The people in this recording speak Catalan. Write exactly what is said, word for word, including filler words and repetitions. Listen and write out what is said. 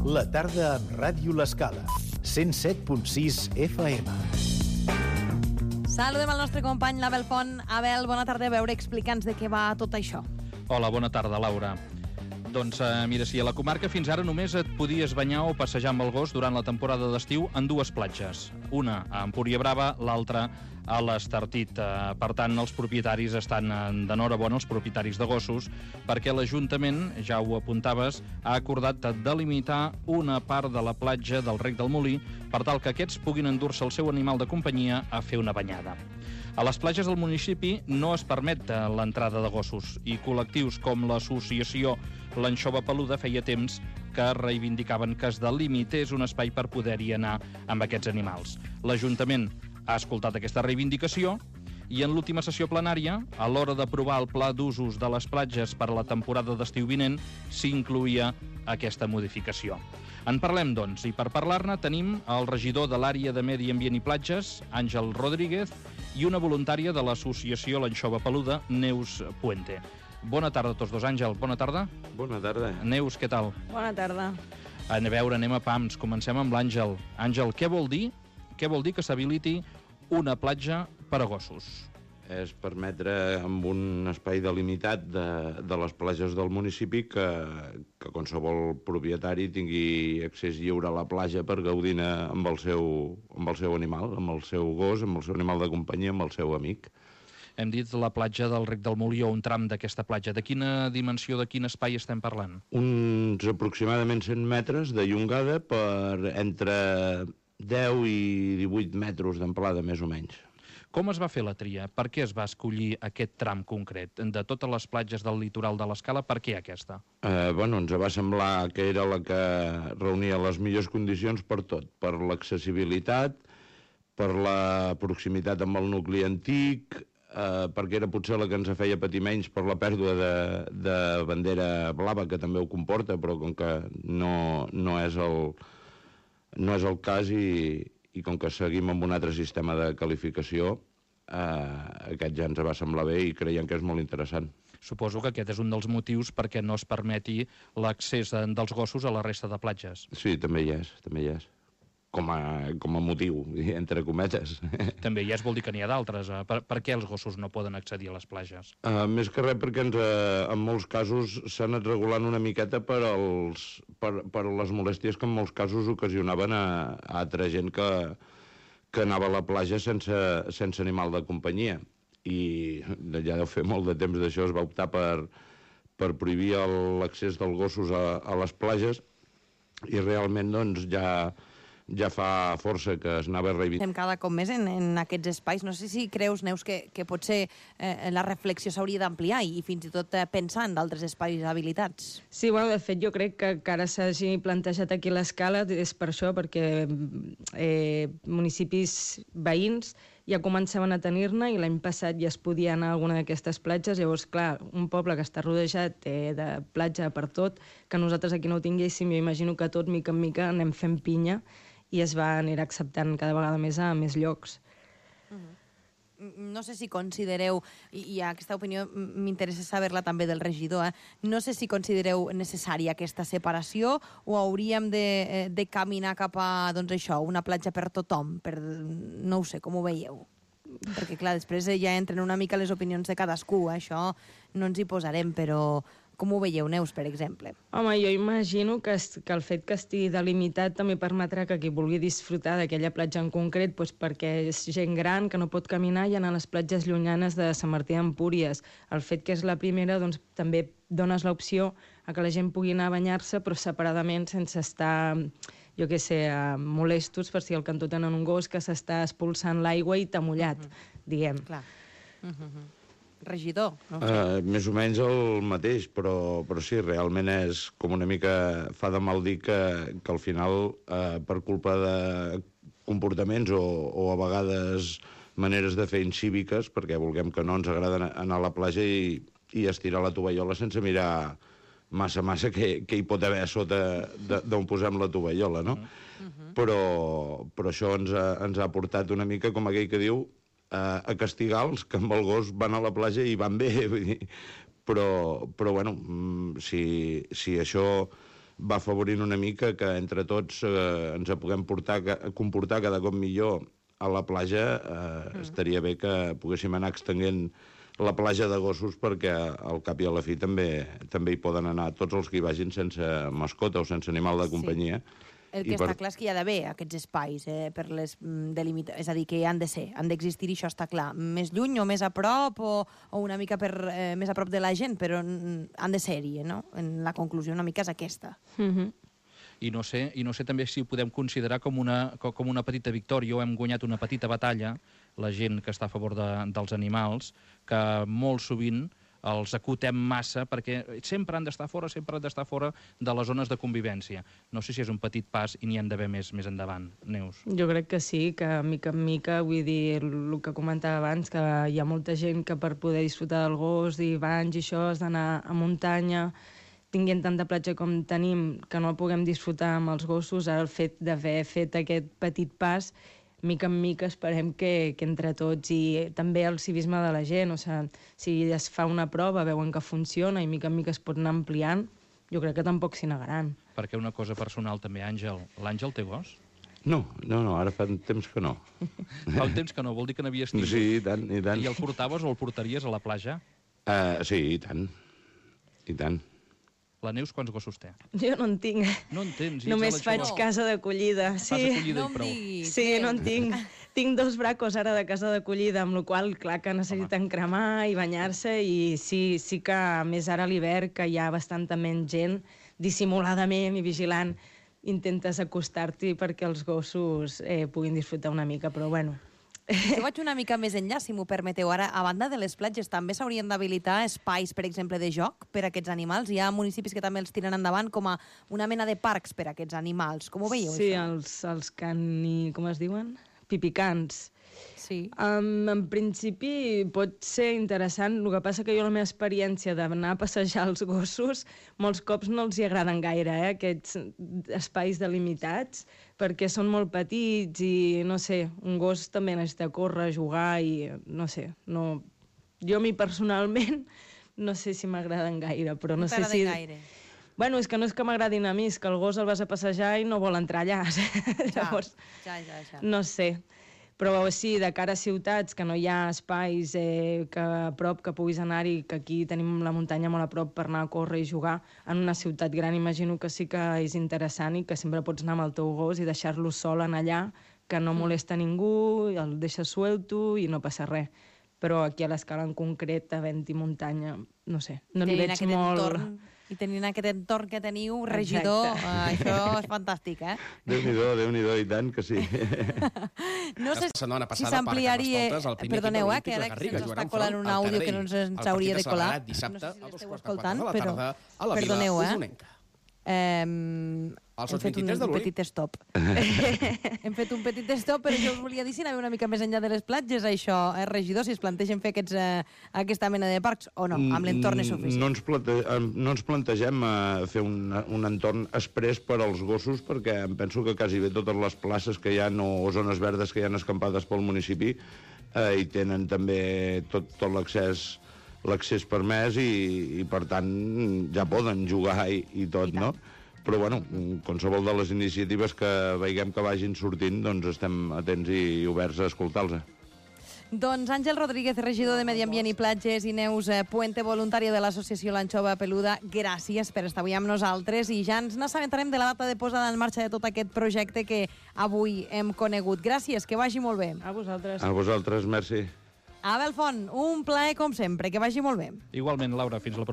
La tarda amb Ràdio L'Escala. cent set punt sis F M. Saludem el nostre company l'Abel Font. Abel, bona tarda. A veure, explica'ns de què va tot això. Hola, bona tarda, Laura. Doncs eh, mira, si a la comarca fins ara només et podies banyar o passejar amb el gos durant la temporada d'estiu en dues platges. Una a Empuriabrava, l'altra a l'Estartit. Eh, per tant, els propietaris estan d'enhorabona, els propietaris de gossos, perquè l'Ajuntament, ja ho apuntaves, ha acordat delimitar una part de la platja del Rec del Molí per tal que aquests puguin endur-se el seu animal de companyia a fer una banyada. A les platges del municipi no es permet l'entrada de gossos i col·lectius com l'associació L'Anxova Peluda feia temps que reivindicaven que es delimités un espai per poder-hi anar amb aquests animals. L'Ajuntament ha escoltat aquesta reivindicació i en l'última sessió plenària, a l'hora d'aprovar el pla d'usos de les platges per a la temporada d'estiu vinent, s'incloïa aquesta modificació. En parlem, doncs, i per parlar-ne tenim el regidor de l'àrea de Medi Ambient i Platges, Àngel Rodríguez, i una voluntària de l'associació L'Anxova Peluda, Neus Puente. Bona tarda a tots dos, Àngel. Bona tarda. Bona tarda. Neus, què tal? Bona tarda. A veure, anem a pams. Comencem amb l'Àngel. Àngel, què vol dir, què vol dir que s'habiliti una platja per a gossos? És permetre amb un espai delimitat de, de les platges del municipi que, que qualsevol propietari tingui accés lliure a la platja per gaudir amb el seu, amb el seu animal, amb el seu gos, amb el seu animal de companyia, amb el seu amic. Hem dit la platja del Rec del Molí o un tram d'aquesta platja. De quina dimensió, de quin espai estem parlant? Uns aproximadament cent metres de llongada per entre deu i divuit metres d'amplada, més o menys. Com es va fer la tria? Per què es va escollir aquest tram concret? De totes les platges del litoral de l'Escala, per què aquesta? Eh, bueno, ens va semblar que era la que reunia les millors condicions per tot. Per l'accessibilitat, per la proximitat amb el nucli antic, eh, perquè era potser la que ens feia patir menys per la pèrdua de, de bandera blava, que també ho comporta, però com que no, no, és, el, no és el cas i... i com que seguim amb un altre sistema de qualificació, eh, aquest ja ens va semblar bé i creiem que és molt interessant. Suposo que aquest és un dels motius perquè no es permeti l'accés dels gossos a la resta de platges. Sí, també hi és, també hi és. Com a, com a motiu, entre cometes. També hi és, vol dir que n'hi ha d'altres. Per, per què els gossos no poden accedir a les platges? Uh, més que res perquè ens, uh, en molts casos s'ha anat regulant una miqueta per, als, per, per les molèsties que en molts casos ocasionaven a, a altra gent que, que anava a la platja sense, sense animal de companyia. I ja deu fer molt de temps d'això, es va optar per, per prohibir l'accés dels gossos a, a les platges i realment doncs ja... ja fa força que es anava reivindicant. Estem cada cop més en, en aquests espais. No sé si creus, Neus, que, que potser eh, la reflexió s'hauria d'ampliar i, i fins i tot eh, pensar en d'altres espais habilitats. Sí, bueno, de fet, jo crec que, que ara s'hagi plantejat aquí l'Escala és per això, perquè eh, municipis veïns ja començaven a tenir-ne i l'any passat ja es podia anar a alguna d'aquestes platges. Llavors, clar, un poble que està rodejat eh, de platja per tot, que nosaltres aquí no ho tinguéssim, jo imagino que tot, mica en mica, anem fent pinya i es va anar acceptant cada vegada més a més llocs. Uh-huh. No sé si considereu, i, i aquesta opinió m'interessa saber-la també del regidor, eh? no sé si considereu necessària aquesta separació o hauríem de, de caminar cap a, doncs això, una platja per tothom, per, no ho sé, com ho veieu? Perquè, clar, després ja entren una mica les opinions de cadascú, això no ens hi posarem, però com ho veieu, Neus, per exemple? Home, jo imagino que, es, que el fet que estigui delimitat també permetrà que qui vulgui disfrutar d'aquella platja en concret, doncs perquè és gent gran que no pot caminar i anar a les platges llunyanes de Sant Martí d'Empúries. El fet que és la primera, doncs també dones l'opció a que la gent pugui anar a banyar-se, però separadament, sense estar, jo què sé, molestos per si al cantó tenen un gos que s'està expulsant l'aigua i t'ha mullat, uh-huh. diguem. Clar. Uh-huh. Regidor, no sé. Uh, més o menys el mateix, però, però sí, realment és com una mica fa de mal dir que, que al final, uh, per culpa de comportaments o, o a vegades maneres de fer incíviques, perquè vulguem que no ens agrada anar a la platja i, i estirar la tovallola sense mirar massa, massa què, què hi pot haver a sota d'on posem la tovallola, no? Uh-huh. Però, però això ens ha, ens ha portat una mica, com aquell que diu, a castigar els que amb el gos van a la platja i van bé, vull dir. Però, però bueno, si, si això va afavorint una mica que entre tots eh, ens puguem portar, comportar cada cop millor a la platja. Eh, mm. Estaria bé que poguéssim anar extenguent la platja de gossos, perquè al cap i a la fi també també hi poden anar tots els que hi vagin sense mascota o sense animal de companyia. Sí. El que I està per... clar és que hi ha d'haver aquests espais eh, per les delimita... És a dir, que hi han de ser, han d'existir, i això està clar. Més lluny o més a prop, o, o una mica per, eh, més a prop de la gent, però han de ser-hi, no? En la conclusió una mica és aquesta. Mm-hmm. I no sé, i no sé també si ho podem considerar com una, com una petita victòria, o hem guanyat una petita batalla, la gent que està a favor de, dels animals, que molt sovint els acotem massa, perquè sempre han d'estar fora, sempre han d'estar fora de les zones de convivència. No sé si és un petit pas i n'hi han d'haver més més endavant. Neus? Jo crec que sí, que mica en mica, vull dir, el que comentava abans, que hi ha molta gent que per poder disfrutar del gos i banys i això has d'anar a muntanya, tinguent tanta platja com tenim, que no puguem disfrutar amb els gossos. Ara el fet d'haver fet aquest petit pas, mica en mica esperem que, que entre tots, i també el civisme de la gent, o sigui, si es fa una prova, veuen que funciona i mica en mica es pot anar ampliant, jo crec que tampoc s'hi negaran. Perquè una cosa personal també, Àngel. L'Àngel té gos? No, no, no, ara fa un temps que no. Fa un temps que no, vol dir que n'havies tingut. Sí, i tant, i tant. I el portaves o el portaries a la platja? Uh, sí, i tant, i tant. La Neus quants gossos té? Jo no en tinc. No en tens? Només faig no. casa d'acollida. Sí. Fas acollida no i prou. Diguis, sí, no en tinc. Tinc dos bracos ara de casa d'acollida, amb la qual clar que necessiten Home. cremar i banyar-se, i sí, sí que més ara a l'hivern, que hi ha bastanta menys gent, dissimuladament i vigilant, intentes acostar-t'hi perquè els gossos eh, puguin disfrutar una mica, però bueno... Jo vaig una mica més enllà, si m'ho permeteu. Ara, a banda de les platges, també s'haurien d'habilitar espais, per exemple, de joc per a aquests animals. Hi ha municipis que també els tiren endavant com a una mena de parcs per a aquests animals. Com ho veieu, sí, això? els, els cani... com es diuen? Pipicans. Sí. Um, en principi pot ser interessant, el que passa que jo la meva experiència d'anar a passejar els gossos molts cops no els hi agraden gaire, eh, aquests espais delimitats, perquè són molt petits i, no sé, un gos també necessita córrer, jugar i, no sé, no... jo a mi personalment no sé si m'agraden gaire, però no, no sé si... gaire. Bueno, és que no és que m'agradin a mi, és que el gos el vas a passejar i no vol entrar allà. Ja, Llavors, ja, ja, ja. no sé. Però sí, de cara a ciutats, que no hi ha espais eh, que a prop que puguis anar-hi, que aquí tenim la muntanya molt a prop per anar a córrer i jugar, en una ciutat gran imagino que sí que és interessant i que sempre pots anar amb el teu gos i deixar-lo sol en allà, que no molesta ningú, el deixes suelto i no passa res. Però aquí a l'escala en concret, havent-hi muntanya, no sé, no li veig molt... Entorn, I tenint aquest entorn que teniu, regidor, uh, això és fantàstic, eh? Déu-n'hi-do, Déu-n'hi-do, i tant que sí. No sé si s'ampliaria... Perdoneu, eh, que ara se'ns està colant un àudio que no ens hauria de colar. No sé si l'esteu escoltant, però... Perdoneu, eh? Um, hem fet un, un petit stop. Hem fet un petit stop, però jo us volia dir si anàvem una mica més enllà de les platges, això, eh, regidor, si es plantegen fer aquests, eh, aquesta mena de parcs o no, amb l'entorn és suficient. No ens, plante no ens plantegem eh, fer un, un entorn express per als gossos, perquè em penso que quasi bé totes les places que hi ha o zones verdes que hi ha escampades pel municipi eh, hi tenen també tot, tot l'accés l'accés permès i, i, per tant, ja poden jugar i, i tot, no? Però, bueno, qualsevol de les iniciatives que veiem que vagin sortint, doncs estem atents i oberts a escoltar-los. Doncs Àngel Rodríguez, regidor de Medi Ambient i Platges, i Neus Puente, voluntària de l'associació L'Anxova Peluda, gràcies per estar avui amb nosaltres i ja ens n'assabentarem de la data de posada en marxa de tot aquest projecte que avui hem conegut. Gràcies, que vagi molt bé. A vosaltres. A vosaltres, merci. Abel Font, un plaer com sempre, que vagi molt bé. Igualment, Laura, fins la propera.